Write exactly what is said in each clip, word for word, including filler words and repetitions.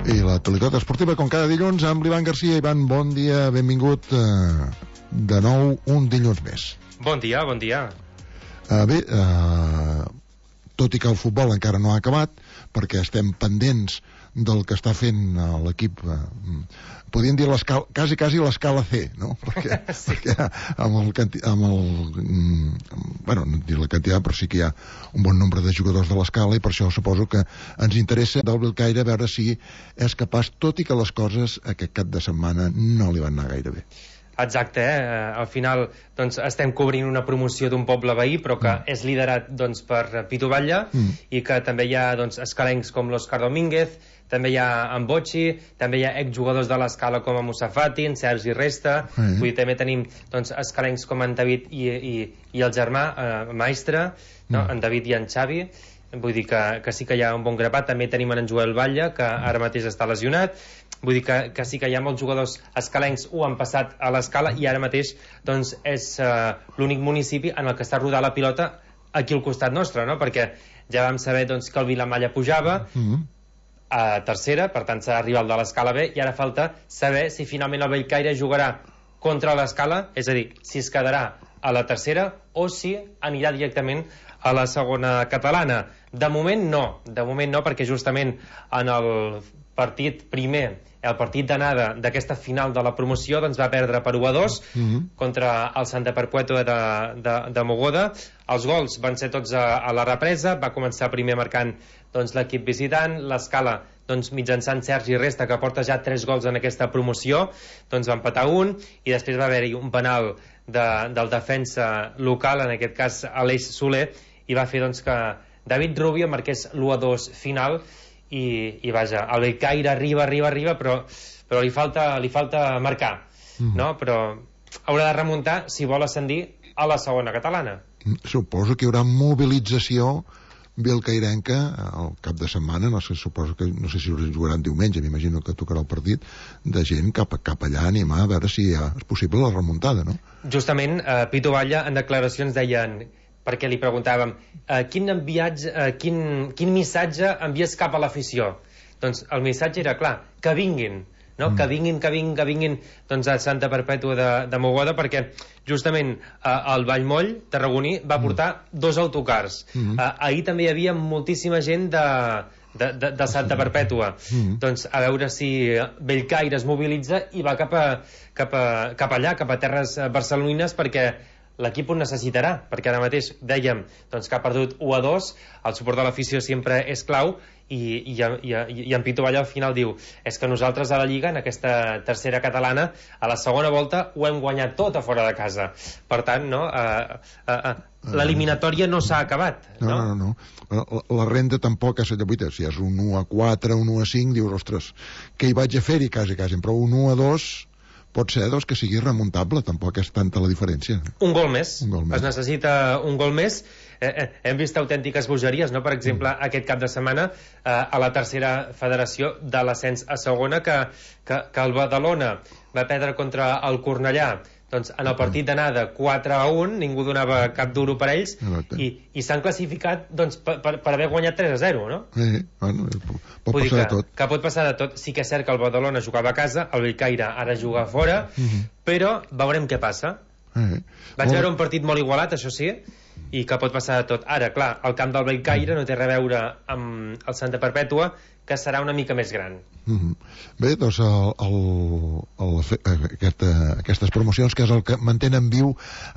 I l'actualitat esportiva, com cada dilluns, amb l'Ivan Garcia. Ivan, bon dia, benvingut eh, de nou un dilluns més. Bon dia, bon dia. Eh, bé, eh, tot i que el futbol encara no ha acabat, perquè estem pendents del que està fent eh, l'equip, eh, podríem dir l'escala, quasi, quasi l'escala C, no? Perquè, sí. perquè amb el, amb el mm, bueno, no dir la quantitat, però sí que hi ha un bon nombre de jugadors de l'escala, i per això suposo que ens interessa del Bellcaire veure si és capaç, tot i que les coses aquest cap de setmana no li van anar gaire bé. Exacte, eh? Al final doncs, estem cobrint una promoció d'un poble veí, però que mm. és liderat doncs, per Pitu Batlle, mm. i que també hi ha doncs, escalencs com l'Òscar Domínguez, també hi ha en Bocci, també hi ha exjugadors de l'escala com en Musafati, en Sergi Resta, mm. vull dir, també tenim doncs, escalencs com en David i, i, i el germà, eh, Maestre, no? mm. en David i en Xavi, vull dir que, que sí que hi ha un bon grapat. També tenim en Joel Batlle, que ara mateix està lesionat. Vull dir que, que sí que hi ha molts jugadors escalencs ho han passat a l'escala, i ara mateix doncs, és uh, l'únic municipi en el que està rodant la pilota aquí al costat nostre, no? Perquè ja vam saber doncs, que el Vilamalla pujava mm-hmm. a tercera, per tant s'ha arribat de l'escala B, i ara falta saber si finalment el Bellcaire jugarà contra l'escala, és a dir, si es quedarà a la tercera o si anirà directament a la segona catalana. De moment no, de moment no, perquè justament en el partit primer, el partit d'anada d'aquesta final de la promoció, doncs va perdre per u a dos mm-hmm. contra el Santa Perpètua de, de, de Mogoda. Els gols van ser tots a, a la represa. Va començar primer marcant doncs, l'equip visitant, l'escala doncs, mitjançant Sergi Resta, que porta ja tres gols en aquesta promoció, doncs va empatar un, i després va haver-hi un penal de, del defensa local, en aquest cas Aleix Soler, i va fer doncs, que David Rubio marqués l'u a dos final. I, i vaja, el Bellcaire arriba, arriba, arriba, però, però li, falta, li falta marcar, mm. no? Però haurà de remuntar si vol ascendir a la segona catalana. Suposo que hi haurà mobilització bellcairenca al cap de setmana, no sé, suposo que no sé si jugaran diumenge, m'imagino que tocarà el partit, de gent cap, cap allà a animar a veure si ja és possible la remuntada, no? Justament, eh, Pitu Batlle en declaracions deien, perquè li preguntàvem eh, quin, enviatge, eh, quin, quin missatge envies cap a l'afició. Doncs el missatge era clar, que vinguin, no? Mm. que vinguin, que vinguin, que vinguin doncs, a Santa Perpètua de, de Mogoda, perquè justament eh, el Vallmoll tarragoní va portar mm. dos autocars. Mm. Eh, ahir també hi havia moltíssima gent de, de, de, de Santa Perpètua. Mm. Doncs a veure si Bellcaire es mobilitza i va cap, a, cap, a, cap allà, cap a terres barcelonines, perquè l'equip ho necessitarà, perquè ara mateix dèiem doncs, que ha perdut u a dos, el suport de l'afició sempre és clau, i, i, i, i en Pitu Batlle al final diu, és que nosaltres a la Lliga, en aquesta tercera catalana, a la segona volta ho hem guanyat tot a fora de casa. Per tant, no, uh, uh, uh, l'eliminatòria no s'ha acabat. No, no, no, no. La, la renda tampoc és de vuit, si és un u a quatre, un u a cinc, dius, ostres, què hi vaig a fer-hi quasi, quasi, però un u a dos pot ser doncs, que sigui remuntable, tampoc és tanta la diferència. Un gol més, un gol més. Es necessita un gol més. Eh, eh, hem vist autèntiques bogeries, no? Per exemple, mm. aquest cap de setmana eh, a la tercera federació de l'ascens a segona, que, que, que el Badalona va perdre contra el Cornellà doncs en el partit d'anada quatre a un, ningú donava cap duro per ells, i, i s'han classificat doncs, per, per, per haver guanyat tres a zero, no? Sí, bueno, pot Vull passar que, de tot. Que pot passar de tot. Sí que és cert que el Badalona jugava a casa, el Bellcaire ara juga a fora, mm-hmm. però veurem què passa. Sí. Vaig veure un partit molt igualat, això sí, i que pot passar de tot. Ara, clar, el camp del Bellcaire no té res a veure amb el Santa Perpètua, que serà una mica més gran. Mm-hmm. Bé, doncs el, el, el, aquesta, aquestes promocions, que és el que mantenen viu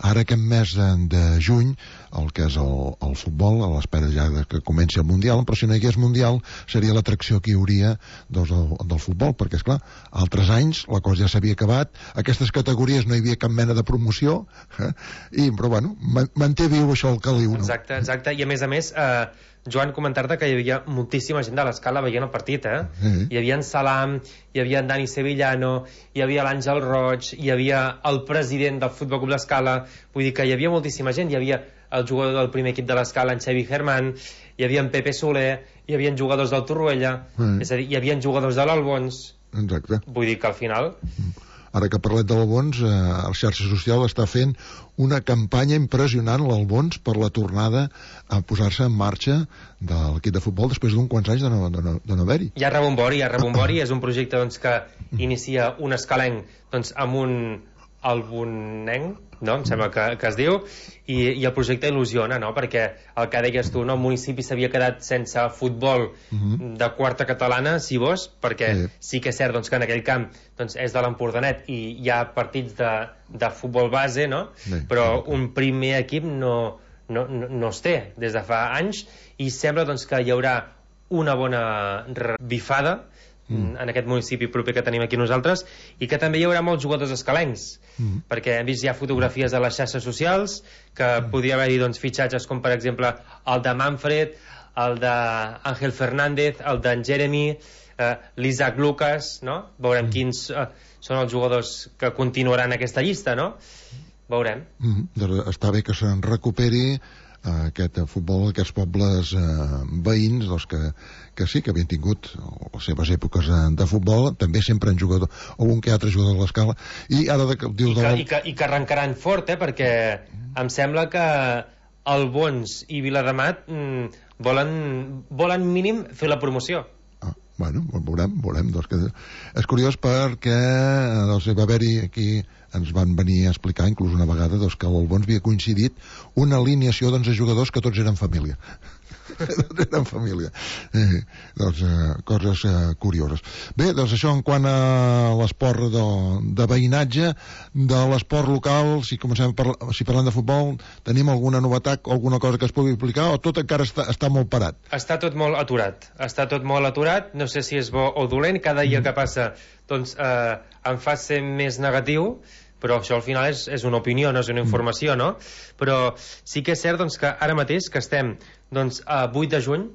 ara aquest mes de, de juny, el que és el, el futbol, a l'espera ja de que comenci el Mundial, però si no hi hagués Mundial seria l'atracció que hi hauria doncs, del, del futbol, perquè és clar, altres anys la cosa ja s'havia acabat, aquestes categories no hi havia cap mena de promoció, eh? I, però bueno, manté viu això el caliu, no? Exacte, exacte, i a més a més eh, Joan, comentar-te que hi havia moltíssima gent de l'escala veient el partit, eh? Mm-hmm. Hi havia en Salam, hi havia en Dani Sevillano, hi havia l'Àngel Roig, hi havia el president del Futbol Club d'Escala, vull dir que hi havia moltíssima gent, hi havia el jugador del primer equip de l'Escala, en Xavi Germán, hi havia en Pepe Soler, hi havia jugadors del Torroella, mm. és a dir, hi havia jugadors de l'Albons. Exacte. Vull dir que al final... Mm. ara que parlem de l'Albons, eh, el xarxa social està fent una campanya impressionant, l'Albons, per la tornada a posar-se en marxa de l'equip de futbol després d'un quants anys de no, de no, de no haver-hi. Hi ha rebombori, hi ha rebombori, és un projecte doncs, que inicia un escalenc doncs, amb un albonenc, no? Em sembla que, que es diu, i, i el projecte il·lusiona, no? Perquè el que deies tu, no? El municipi s'havia quedat sense futbol uh -huh. de quarta catalana, si vols, perquè sí, sí que és cert doncs, que en aquell camp doncs, és de l'Empordanet i hi ha partits de, de futbol base, no? Sí, però sí, un primer equip no, no, no, no es té des de fa anys, i sembla doncs, que hi haurà una bona bifada mm. en aquest municipi proper que tenim aquí nosaltres, i que també hi haurà molts jugadors escalencs, mm. perquè hem vist ja fotografies a les xarxes socials que mm. podria haver-hi doncs, fitxatges com per exemple el de Manfred, el d'Àngel Fernández, el d'en Jeremy, eh, l'Isaac Lucas, no? Veurem mm. quins eh, són els jugadors que continuaran aquesta llista, no? Veurem. Mm. Està bé que se'n recuperi aquest futbol, aquests pobles eh, veïns, doncs que, que sí, que havien tingut les seves èpoques de futbol, també sempre han jugat algun que altre jugador de l'Escala, i ara de, dius I, que, i, que, i que arrencaran fort, eh, perquè em sembla que Albons i Viladamat mm, volen, volen mínim fer la promoció. Ah, bueno, veurem, veurem doncs que és curiós perquè doncs, va haver-hi aquí, ens van venir a explicar inclús una vegada doncs, que a l'Albons havia coincidit una alineació d'onze jugadors que tots eren família. Tots eren família. Eh, doncs, eh, coses eh, curioses. Bé, doncs això en quant a l'esport de, de veïnatge, de l'esport local, si comencem par si parlant de futbol, tenim alguna novetat, alguna cosa que es pugui explicar, o tot encara està, està molt parat? Està tot molt aturat. Està tot molt aturat, no sé si és bo o dolent, cada dia mm. que passa doncs, eh, em fa ser més negatiu, però això al final és, és una opinió, no és una informació, no? Però sí que és cert doncs, que ara mateix, que estem doncs, a vuit de juny,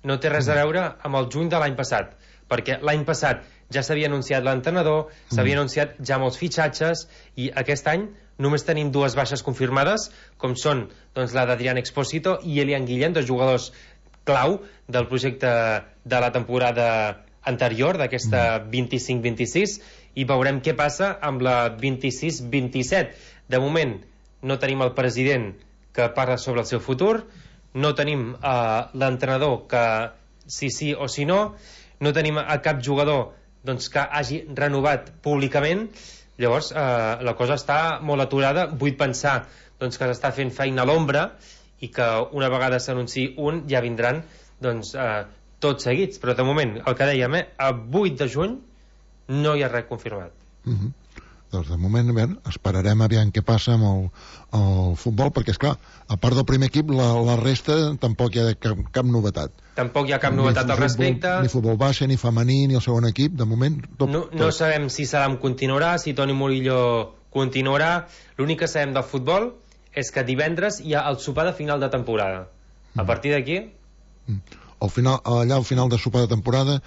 no té res a veure amb el juny de l'any passat, perquè l'any passat ja s'havia anunciat l'entrenador, s'havia anunciat ja molts fitxatges, i aquest any només tenim dues baixes confirmades, com són doncs, la d'Adrián Expósito i Elian Guillén, dos jugadors clau del projecte de la temporada anterior, d'aquesta vint-i-cinc vint-i-sis, i veurem què passa amb la vint-i-sis vint-i-set. De moment no tenim el president que parla sobre el seu futur, no tenim uh, l'entrenador que si sí o si no, no tenim a cap jugador doncs, que hagi renovat públicament. Llavors uh, la cosa està molt aturada. Vull pensar doncs, que s'està fent feina a l'ombra i que una vegada s'anunciï un ja vindran doncs, uh, tots seguits, però de moment el que dèiem, eh, a vuit de juny no hi ha res confirmat. Mm -hmm. Doncs de moment bé, esperarem aviam què passa amb el, el futbol, perquè és clar, a part del primer equip la, la resta tampoc hi ha cap, cap novetat. Tampoc hi ha cap ni novetat al respecte, ni futbol base, ni femení, ni el segon equip, de moment tot, no, no tot. Sabem si Salam continuarà, si Toni Murillo continuarà. L'únic que sabem del futbol és que divendres hi ha el sopar de final de temporada. A mm. partir d'aquí mm. Al final, allà al final de sopar de temporada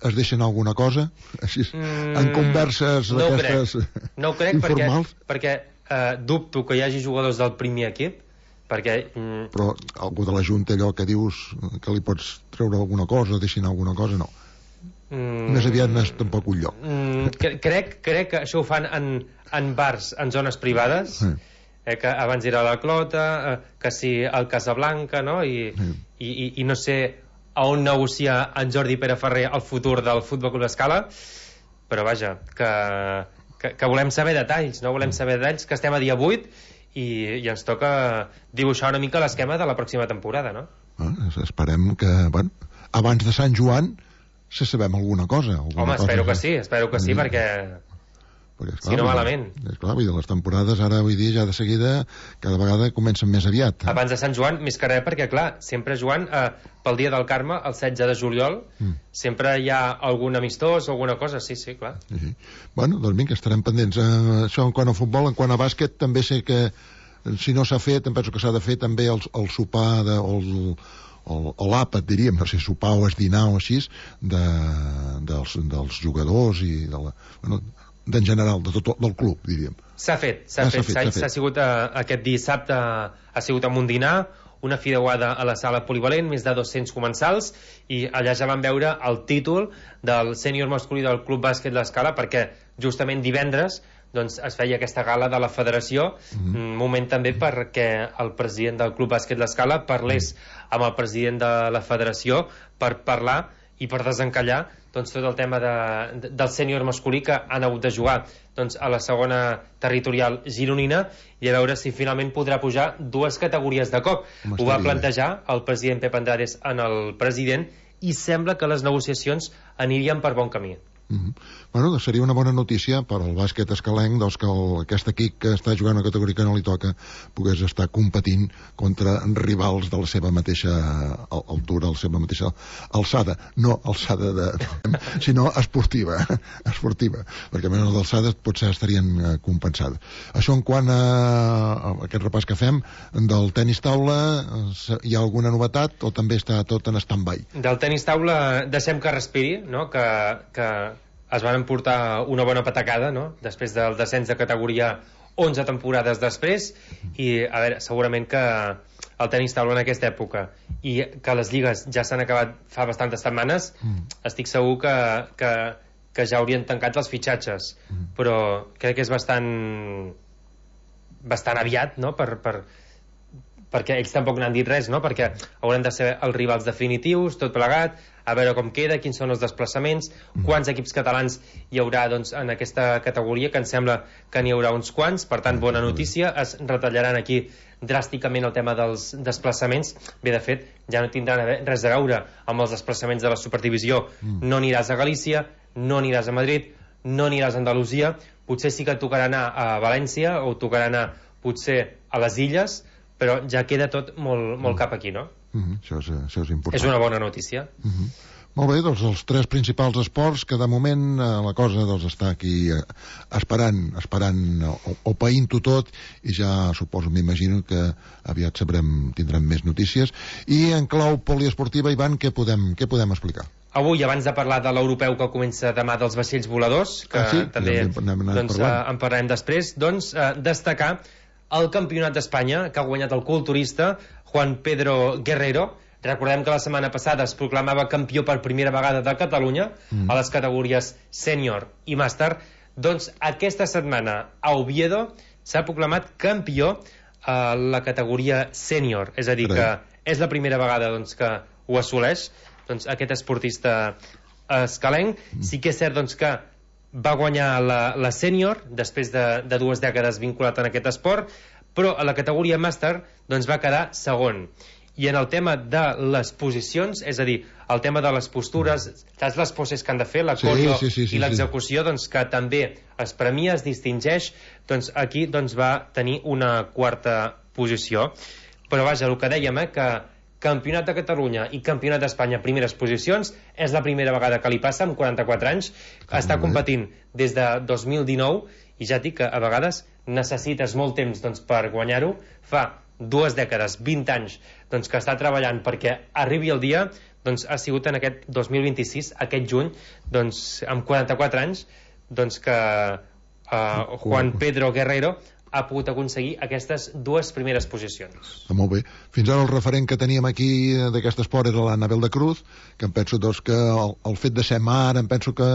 es deixen alguna cosa així, mm, en converses no aquestes crec. No ho crec informals, perquè, perquè eh, dubto que hi hagi jugadors del primer equip, perquè mm, però algú de la Junta, allò que dius que li pots treure alguna cosa, deixin alguna cosa, no mm, més aviat no és tampoc un lloc. mm, crec, crec que això ho fan en, en bars, en zones privades, sí. eh, que abans era la Clota, eh, que sí el Casablanca, no? I, sí. i, i, i no sé a on negocia en Jordi Pere Ferrer el futur del Futbol Club Escala, però vaja, que, que, que volem saber detalls, no volem saber detalls, que estem a dia vuit i, i ens toca dibuixar una mica l'esquema de la pròxima temporada, no? Ah, esperem que, bueno, abans de Sant Joan se sabem alguna cosa. Alguna Home, espero cosa, que sí, espero que sí, sí perquè... Perquè, esclar, si no malament. És clar, vull dir, les temporades ara, vull dir, ja de seguida cada vegada comencen més aviat. Eh? Abans de Sant Joan, més que res, perquè clar, sempre Joan, eh, pel dia del Carme, el setze de juliol, mm. sempre hi ha algun amistós o alguna cosa, sí, sí, clar. Sí, sí. Bueno, doncs vinga, estarem pendents. Eh, això en quant a futbol, en quant a bàsquet, també sé que si no s'ha fet, em penso que s'ha de fer també el, el sopar, de, el, el, l'àpat, diríem, no sé, sopar o esdinar o així, de, dels, dels jugadors i de la... Bueno, d'en general, de tot del club, diríem. S'ha fet, s'ha ah, fet, s'ha fet. sigut uh, aquest dissabte, ha sigut amb un dinar, una fideuada a la sala polivalent, més de dos-cents comensals, i allà ja vam veure el títol del sènior masculí del Club Bàsquet L'Escala, perquè justament divendres doncs es feia aquesta gala de la federació, mm-hmm. moment també perquè el president del Club Bàsquet L'Escala parlés amb el president de la federació per parlar i per desencallar doncs, tot el tema de, de, del sènior masculí que han hagut de jugar doncs, a la segona territorial gironina i a veure si finalment podrà pujar dues categories de cop. Ho va plantejar el president Pep Andrades en el president i sembla que les negociacions anirien per bon camí. Mm-hmm. Bueno, seria una bona notícia per al bàsquet escalenc, doncs que el, aquest equip que està jugant a categoria que no li toca pogués estar competint contra rivals de la seva mateixa altura, la seva mateixa alçada, no alçada de, sinó esportiva esportiva, perquè menys d'alçada potser estarien compensades. Això en quant a, a aquest repàs que fem del tenis taula, hi ha alguna novetat o també està tot en stand-by? Del tenis taula deixem que respiri, no? que, que es van emportar una bona patacada, no? Després del descens de categoria onze temporades després, i a veure, segurament que el tenis taula en aquesta època i que les lligues ja s'han acabat fa bastantes setmanes, mm. estic segur que, que, que ja haurien tancat els fitxatges, mm. però crec que és bastant bastant aviat, no? per, per, perquè ells tampoc n'han dit res, no? Perquè hauran de ser els rivals definitius, tot plegat, a veure com queda, quins són els desplaçaments, quants equips catalans hi haurà doncs, en aquesta categoria, que em sembla que n'hi haurà uns quants, per tant, bona notícia, es retallaran aquí dràsticament el tema dels desplaçaments. Bé, de fet, ja no tindran res a veure amb els desplaçaments de la Superdivisió. No aniràs a Galícia, no aniràs a Madrid, no aniràs a Andalusia, potser sí que et tocarà anar a València o tocarà anar potser a les Illes, però ja queda tot molt, molt cap aquí, no? Mm-hmm. això, és, això és important. És una bona notícia. Mm-hmm. Molt bé, doncs els tres principals esports que de moment eh, la cosa doncs, està aquí eh, esperant, esperant o, o païnt-ho tot, i ja suposo, m'imagino que aviat sabrem, tindrem més notícies. I en clau poliesportiva, Ivan, què podem, què podem explicar? Avui, abans de parlar de l'europeu que comença demà dels vaixells voladors, que ah, sí? també ja en, doncs, eh, en parlarem després, doncs eh, destacar el campionat d'Espanya que ha guanyat el culturista Juan Pedro Guerrero. Recordem que la setmana passada es proclamava campió per primera vegada de Catalunya mm. a les categories sènior i màster. Doncs aquesta setmana a Oviedo s'ha proclamat campió a la categoria sènior, és a dir, que és la primera vegada doncs, que ho assoleix doncs, aquest esportista escalenc. Mm. Sí que és cert doncs, que va guanyar la, la sènior després de, de dues dècades vinculat en aquest esport, però a la categoria màster doncs, va quedar segon. I en el tema de les posicions, és a dir, el tema de les postures, saps les poses que han de fer, la coreo sí, sí, sí, sí, i l'execució, doncs, que també es premia, es distingeix, doncs aquí doncs, va tenir una quarta posició. Però vaja, el que dèiem, eh, que Campionat de Catalunya i Campionat d'Espanya primeres posicions, és la primera vegada que li passa, amb quaranta-quatre anys, ah, està competint des de dos mil dinou, i ja et dic que a vegades necessites molt temps doncs, per guanyar-ho. Fa dues dècades, vint anys, doncs, que està treballant perquè arribi el dia, doncs ha sigut en aquest dos mil vint-i-sis, aquest juny, doncs, amb quaranta-quatre anys, doncs, que uh, Juan Pedro Guerrero ha pogut aconseguir aquestes dues primeres posicions. Ah, molt bé. Fins ara el referent que teníem aquí d'aquest esport era l'Anabel de Cruz, que em penso doncs, que el, el fet de ser mare, em penso que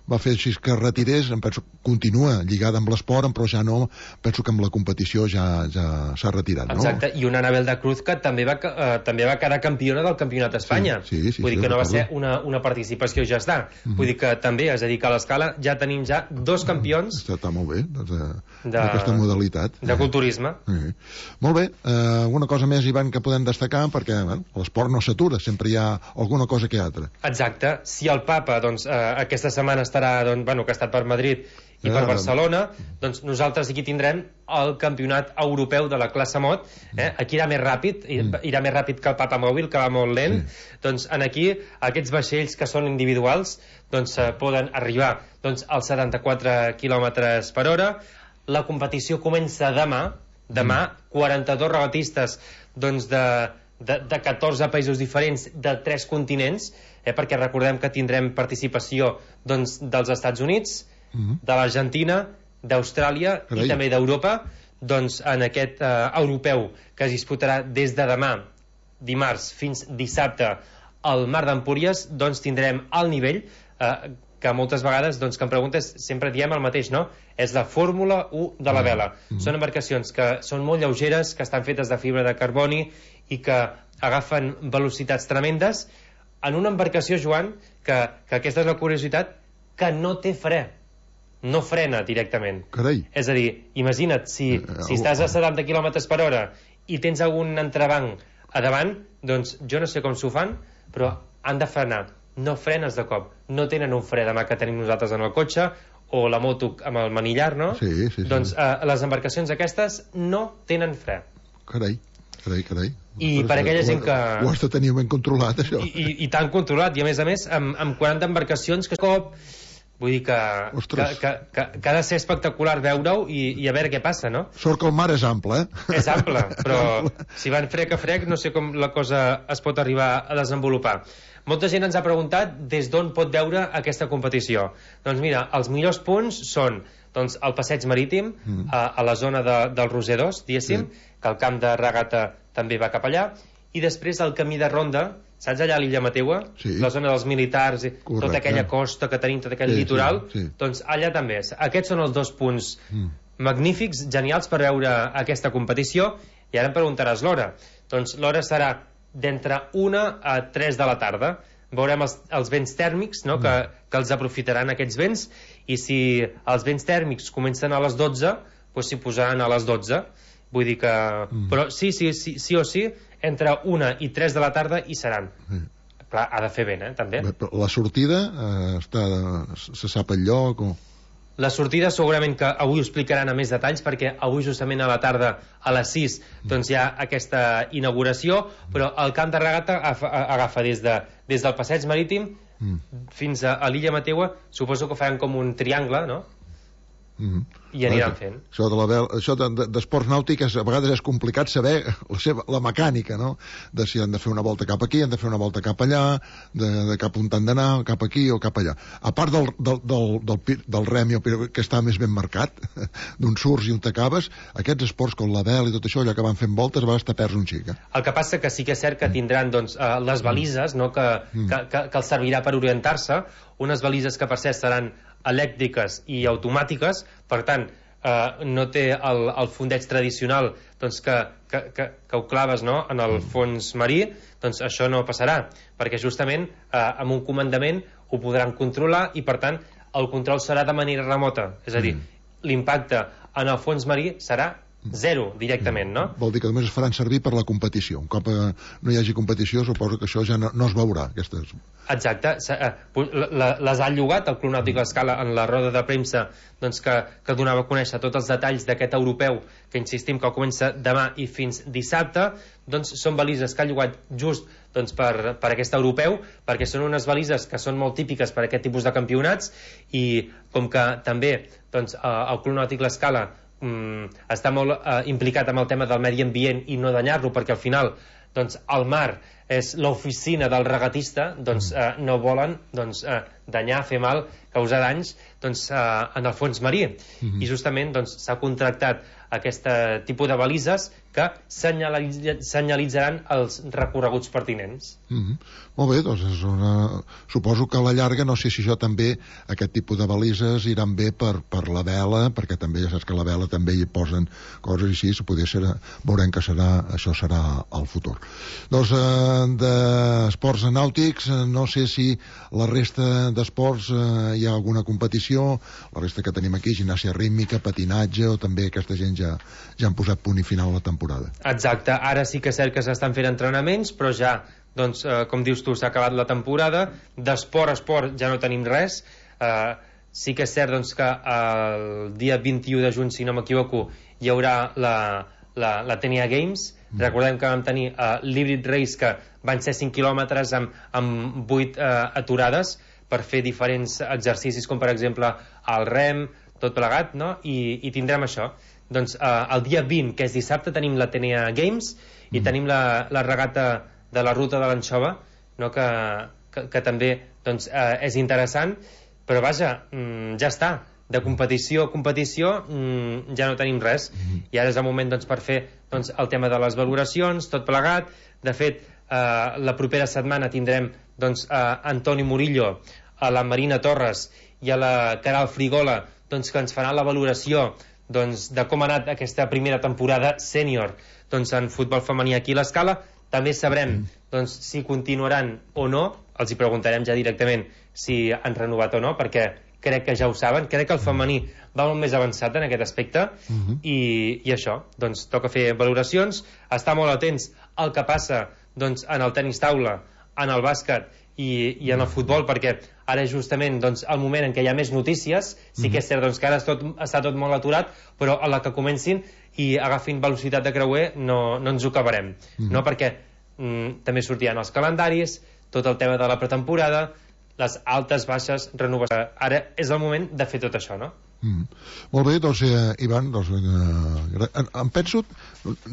va fer així que retirés, em penso que continua lligada amb l'esport, però ja no, penso que amb la competició ja, ja s'ha retirat, no? Exacte, i una Anabel de Cruz que també va, eh, també va quedar campiona del Campionat d'Espanya. Sí, sí, sí, vull dir sí, que no recordo. va ser una, una participació ja està. Mm-hmm. Vull dir que també, és a dir, que a l'escala ja tenim ja dos campions. Està, està molt bé, d'aquesta de, modalitat. De culturisme. Eh. Molt bé, eh, alguna cosa més, Ivan, que podem destacar, perquè bueno, l'esport no s'atura, sempre hi ha alguna cosa que altra. Exacte, si el Papa doncs, eh, aquesta setmana estarà, doncs, bueno, que ha estat per Madrid i per Barcelona, doncs nosaltres aquí tindrem el campionat europeu de la classe mod, eh? Aquí irà més ràpid, irà més ràpid que el Papa Mòbil, que va molt lent. Sí. Doncs en aquí, aquests vaixells que són individuals, doncs eh, poden arribar doncs, als setanta-quatre quilòmetres per hora. La competició comença demà, demà, quaranta-dos regatistes doncs, de, de, de catorze països diferents, de tres continents, eh? Perquè recordem que tindrem participació doncs, dels Estats Units, Uh-huh. de l'Argentina, d'Austràlia i també d'Europa, doncs en aquest eh, europeu que es disputarà des de demà, dimarts, fins dissabte al Mar d'Empúries, doncs tindrem el nivell, eh, que moltes vegades, doncs, que em preguntes, sempre diem el mateix, no? És la Fórmula u de la vela. Mm-hmm. Són embarcacions que són molt lleugeres, que estan fetes de fibra de carboni i que agafen velocitats tremendes en una embarcació, Joan, que, que aquesta és la curiositat, que no té fre. No frena directament. Carai. És a dir, imagina't, si, si estàs a setanta quilòmetres per hora i tens algun entrebanc a davant, doncs jo no sé com s'ho fan, però han de frenar. No frenes de cop. No tenen un fre de mà que tenim nosaltres en el cotxe o la moto amb el manillar, no? Sí, sí, sí. Doncs eh, les embarcacions aquestes no tenen fre. Carai, carai, carai. I Però per aquella gent que... Ho has de tenir ben controlat, això. I, i, i tan controlat. I a més a més, amb, amb quaranta embarcacions que cop... Vull dir que, que, que, que, que ha de ser espectacular veure-ho i, i a veure què passa, no? Sort que el mar és ample, eh? És ample, però si van frec a frec no sé com la cosa es pot arribar a desenvolupar. Molta gent ens ha preguntat des d'on pot veure aquesta competició. Doncs mira, els millors punts són doncs, el passeig marítim, mm. a, a la zona de, del Roser dos, diguéssim, sí. Que el camp de regata també va cap allà, i després el camí de ronda, saps allà a l'illa Mateua? Sí. La zona dels militars, correcte. Tota aquella costa que tenim, tot aquell sí, litoral, sí, sí. Doncs allà també. Aquests són els dos punts mm. magnífics, genials per veure aquesta competició. I ara em preguntaràs l'hora. Doncs l'hora serà d'entre una a tres de la tarda. Veurem els, els vents tèrmics, no? mm. que, que els aprofitaran aquests vents, i si els vents tèrmics comencen a les dotze, doncs s'hi posaran a les dotze. Vull dir que... Mm. Però sí, sí, sí, sí o sí, entre una i tres de la tarda hi seran. Sí. Clar, ha de fer vent, eh, també. La sortida eh, està, se sap el lloc o... La sortida segurament que avui ho explicaran a més detalls, perquè avui justament a la tarda a les sis doncs hi ha aquesta inauguració, però el camp de regata agafa, agafa des, de, des del passeig marítim mm. fins a, a l'illa Mateua. Suposo que faran com un triangle, no? Mm-hmm. I aniran fent. Això de la vel... això d'esports de, nàutics a vegades és complicat saber la, seva, la mecànica, no? De si han de fer una volta cap aquí, han de fer una volta cap allà, de, de cap on han d'anar, cap aquí o cap allà. A part del, del, del, del, del remi, que està més ben marcat, d'un surts i on t'acabes, aquests esports com la vel i tot això, allò que van fent voltes, a vegades te perds un xic. Eh? El que passa que sí que és cert que tindran doncs, uh, les balises, no? que, mm. que, que, que els servirà per orientar-se, unes balises que per cert seran elèctriques i automàtiques, per tant eh, no té el, el fondeig tradicional doncs que, que, que, que ho claves, no? En el fons marí, doncs això no passarà, perquè justament eh, amb un comandament ho podran controlar i per tant el control serà de manera remota, és a dir, mm. l'impacte en el fons marí serà zero directament, no? Vol dir que només es faran servir per la competició. Un cop eh, no hi hagi competició, suposo que això ja no, no es veurà, aquestes... Exacte. Les ha llogat el Club Nàutic L'Escala en la roda de premsa, doncs que, que donava a conèixer tots els detalls d'aquest europeu, que insistim que comença demà i fins dissabte. Doncs són balises que ha llogat just doncs, per, per aquest europeu, perquè són unes balises que són molt típiques per aquest tipus de campionats, i com que també doncs, el Club Nàutic L'Escala Mm, està molt eh, implicat amb el tema del medi ambient i no danyar-lo, perquè al final doncs, el mar és l'oficina del regatista, doncs eh, no volen doncs, eh, danyar, fer mal, causar danys doncs, eh, en el fons marí. Mm-hmm. I justament doncs, s'ha contractat aquest tipus de balises que senyalitz senyalitzaran els recorreguts pertinents. Mm-hmm. Molt bé, doncs és una... suposo que a la llarga, no sé si això també, aquest tipus de balises iran bé per, per la vela, perquè també ja saps que a la vela també hi posen coses així, poder ser, veurem que serà, això serà el futur. Doncs eh, d'esports nàutics, no sé si la resta d'esports eh, hi ha alguna competició, la resta que tenim aquí, ginàsia rítmica, patinatge, o també aquesta gent ja, ja han posat punt i final a la temporada. Exacte, ara sí que és cert que s'estan fent entrenaments, però ja doncs, eh, com dius tu, s'ha acabat la temporada. D'esport a esport ja no tenim res. Eh, sí que és cert doncs, que el dia vint-i-u de juny, si no m'equivoco, hi haurà la, la, la Tenia Games. Mm. Recordem que vam tenir eh, l'Hybrid Race, que van ser cinc quilòmetres amb, amb vuit eh, aturades per fer diferents exercicis, com per exemple el rem, tot plegat, no? I, i tindrem això. Doncs eh, el dia vint, que és dissabte, tenim la Tenia Games i mm. tenim la, la regata de la ruta de l'anxova, no? que, que, que també doncs, eh, és interessant, però vaja, mm, ja està, de competició a competició mm, ja no tenim res, mm. i ara és el moment doncs, per fer doncs, el tema de les valoracions, tot plegat. De fet, eh, la propera setmana tindrem doncs, eh, Antoni Murillo a la Marina Torres i a la Caral Frigola, doncs, que ens faran la valoració doncs, de com ha anat aquesta primera temporada sènior doncs, en futbol femení aquí a l'Escala. També sabrem doncs, si continuaran o no, els hi preguntarem ja directament si han renovat o no, perquè crec que ja ho saben, crec que el femení va molt més avançat en aquest aspecte, uh-huh. i, i això, doncs toca fer valoracions, estar molt atents al que passa doncs, en el tenis taula, en el bàsquet i, i en el futbol, perquè ara és justament doncs, el moment en què hi ha més notícies. Sí que és cert doncs, que ara tot, està tot molt aturat, però a la que comencin i agafin velocitat de creuer no, no ens ho acabarem, mm. no? Perquè mm, també sortiran els calendaris, tot el tema de la pretemporada, les altes, baixes, renovació. Ara és el moment de fer tot això, no? Mm. Molt bé, doncs, eh, Ivan, doncs, eh, em, em penso,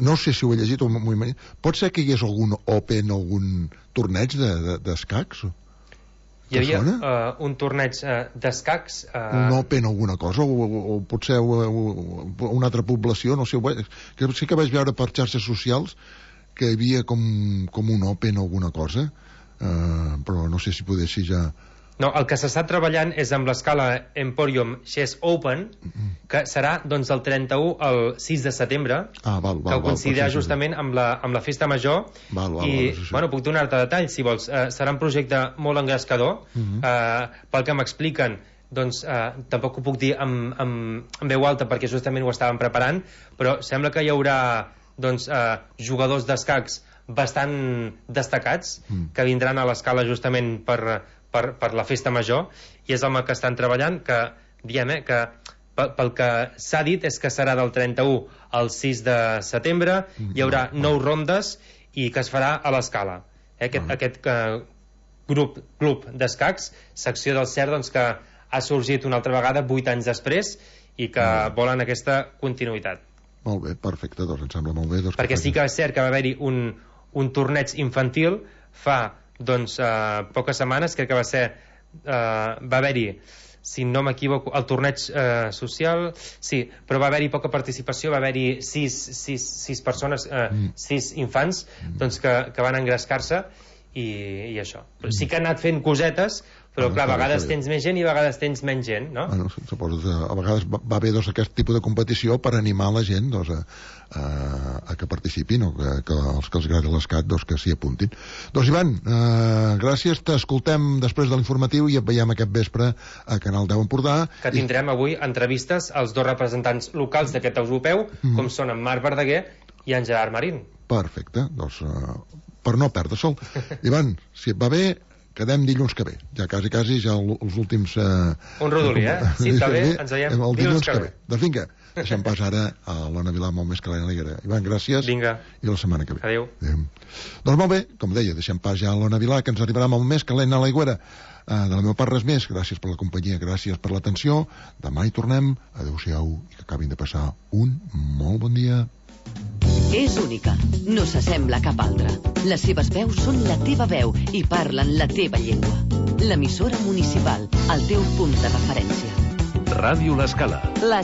no sé si ho he llegit o m'ho imagino, pot ser que hi hagués algun Open, algun torneig d'escacs? De, de, hi havia uh, un torneig uh, d'escacs... Uh... Un Open, alguna cosa, o, o, o potser uh, una altra població, no sé, que sí que vaig veure per xarxes socials que hi havia com, com un Open o alguna cosa, uh, però no sé si poder ser ja... No, el que s'està treballant és amb l'escala Emporium Chess Open, que serà doncs el trenta-u al sis de setembre, ah, val, val, que coincidirà justament amb la, amb la festa major. Val, val, i, val, sí, sí. bueno, puc donar-te detalls, si vols. Uh, serà un projecte molt engrescador, uh -huh. uh, pel que m'expliquen, doncs uh, tampoc ho puc dir amb, amb, amb veu alta, perquè justament ho estàvem preparant, però sembla que hi haurà doncs, uh, jugadors d'escacs bastant destacats, uh-huh. que vindran a l'escala justament per... Per, per la festa major, i és el que estan treballant, que diem eh, que pel, pel que s'ha dit és que serà del trenta-u al sis de setembre, hi haurà nou rondes i que es farà a l'Escala. Eh, aquest, aquest uh, grup, club d'escacs, secció del C E R, doncs, que ha sorgit una altra vegada vuit anys després i que volen aquesta continuïtat. Molt bé, perfecte, doncs em sembla molt bé. Doncs perquè sí que és cert que va haver-hi un, un torneig infantil fa doncs uh, poques setmanes, crec que va ser uh, va haver-hi, si no m'equivoco, el torneig uh, social, sí, però va haver-hi poca participació, va haver-hi sis, sis, sis persones, uh, mm. sis infants doncs que, que van engrescar-se i, i això. Però sí que han anat fent cosetes, però clar, a vegades tens més gent i a vegades tens menys gent, no? Bueno, suposo que a vegades va bé doncs, aquest tipus de competició per animar la gent doncs, a, a, a que participin, o que, que els que els agrada l'escac doncs, que s'hi apuntin. Doncs Ivan, eh, gràcies, t'escoltem després de l'informatiu i et veiem aquest vespre a Canal deu Empordà. Que tindrem avui entrevistes als dos representants locals d'aquest europeu, mm. com són en Marc Verdaguer i en Gerard Marín. Perfecte, doncs eh, per no perdre-se'l. Ivan, si et va bé, quedem dilluns que ve, ja quasi, quasi, ja els últims... Eh, un rodolí, eh? Si està bé, ens veiem dilluns, dilluns que, que ve. Doncs vinga, deixem pas ara a l'Ona Vilà molt més que l'Helena Liguera. Ivan, gràcies. Vinga. I la setmana que ve. Adéu. Adéu. Doncs molt bé, com deia, deixem pas ja a l'Ona Vilà, que ens arribarà molt més que l'Helena Liguera. Uh, de la meva part res més, gràcies per la companyia, gràcies per l'atenció. Demà hi tornem. Adéu-siau i que acabin de passar un molt bon dia. És única, no s'assembla a cap altra. Les seves veus són la teva veu i parlen la teva llengua. L'emissora municipal, el teu punt de referència. Ràdio L'Escala. La